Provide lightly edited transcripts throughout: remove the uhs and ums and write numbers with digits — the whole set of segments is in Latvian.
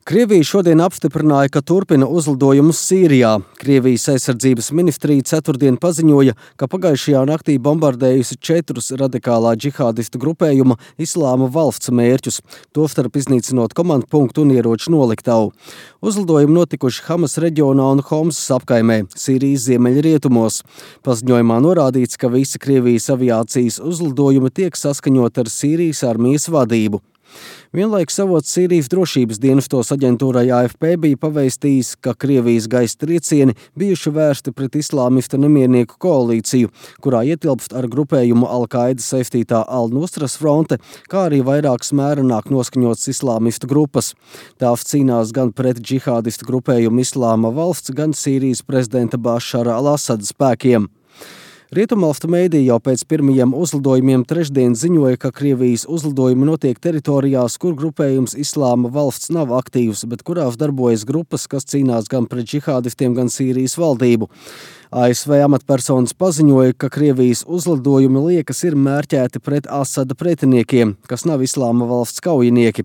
Krievija šodien apstiprināja, ka turpina uzlidojumus Sīrijā. Krievijas aizsardzības ministrija ceturtdien paziņoja, ka pagājušajā naktī bombardējusi 4 radikālā džihādistu grupējuma Islāma valsts mērķus, tostarp iznīcinot komandpunktu un ieroču noliktavu. Uzlidojumi notikuši Hamas reģionā un Homsas apkaimē, Sīrijas ziemeļrietumos. Paziņojumā norādīts, ka visi Krievijas aviācijas uzlidojumi tiek saskaņot ar Sīrijas armijas vadību. Vienlaikus avots Sīrijas drošības dienestos aģentūrai AFP bija pavēstījis, ka Krievijas gaisa triecieni bijuši vērsti pret islāmistu nemiernieku koalīciju, kurā ietilpst ar grupējumu Al-Qaida saistītā Al-Nusras fronte, kā arī vairākas mērenāk noskaņotas islāmistu grupas. Tās cīnās gan pret džihādistu grupējumu Islāma valsts, gan Sīrijas prezidenta Bašara al-Asada spēkiem. Rietumvalstu mēdī jau pēc pirmajiem uzlidojumiem trešdien ziņoja, ka Krievijas uzlidojumi notiek teritorijās, kur grupējums Islāma valsts nav aktīvs, bet kurās darbojas grupas, kas cīnās gan pret džihādistiem, gan Sīrijas valdību. ASV amatpersonas paziņoja, ka Krievijas uzlidojumi liekas ir mērķēti pret Asada pretiniekiem, kas nav Islāma valsts kaujinieki.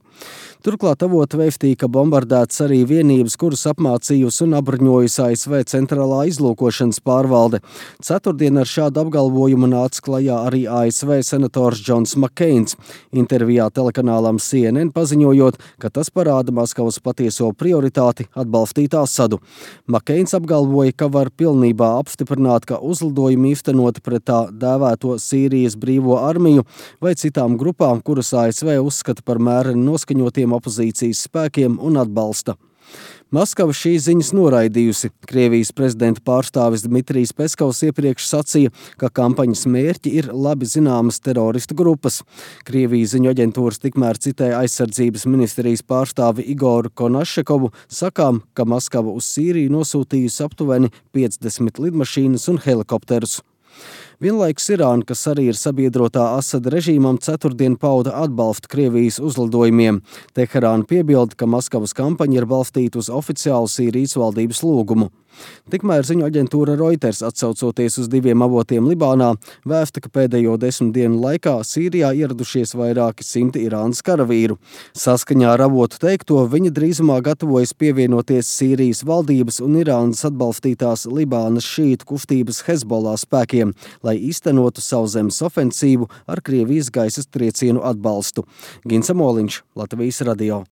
Turklāt avoti vēstīja, ka bombardētas arī vienības, kuras apmācījusi un apbruņojusi ASV centrālā izlūkošanas pārvalde. Ceturtdien ar šādu apgalvojumu nāca klajā arī ASV senators Džons Makkeins, intervijā telekanālam CNN paziņojot, ka tas parāda Maskavas patieso prioritāti atbalstīt Asadu. Makkeins apgalvoja, ka var pilnībā apstiprināt, ka uzlidojumi īstenoti pret tā dēvēto Sīrijas brīvo armiju vai citām grupām, kuras ASV uzskata par mēreni noskaņotiem opozīcijas spēkiem un atbalsta. Maskava šīs ziņas noraidījusi. Krievijas prezidenta pārstāvis Dmitrijs Peskovs iepriekš sacīja, ka kampaņas mērķi ir labi zināmas teroristu grupas. Krievijas ziņu aģentūras tikmēr citēja aizsardzības ministrijas pārstāvi Igoru Konašekovu, sakām, ka Maskava uz Sīriju nosūtījusi aptuveni 50 lidmašīnas un helikopterus. Vienlaikus Irāna, kas arī ir sabiedrotā Asada režīmam, ceturtdien pauda atbalstu Krievijas uzlidojumiem. Teherāna piebilda, ka Maskavas kampaņa ir balstīta uz oficiālu Sīrijas valdības lūgumu. Tikmēr ziņu aģentūra Reuters, atsaucoties uz 2 avotiem Libānā, vēsta, ka pēdējo 10 dienu laikā Sīrijā ieradušies vairāki simti Irānas karavīru. Saskaņā ar avotu teikto, viņi drīzumā gatavojas pievienoties Sīrijas valdības un Irānas atbalstītās Libānas šītu kustības Hezbollah spēkiem, lai īstenotu sauszemes ofensīvu ar Krievijas gaisas triecienu atbalstu. Gins Amoliņš, Latvijas radio.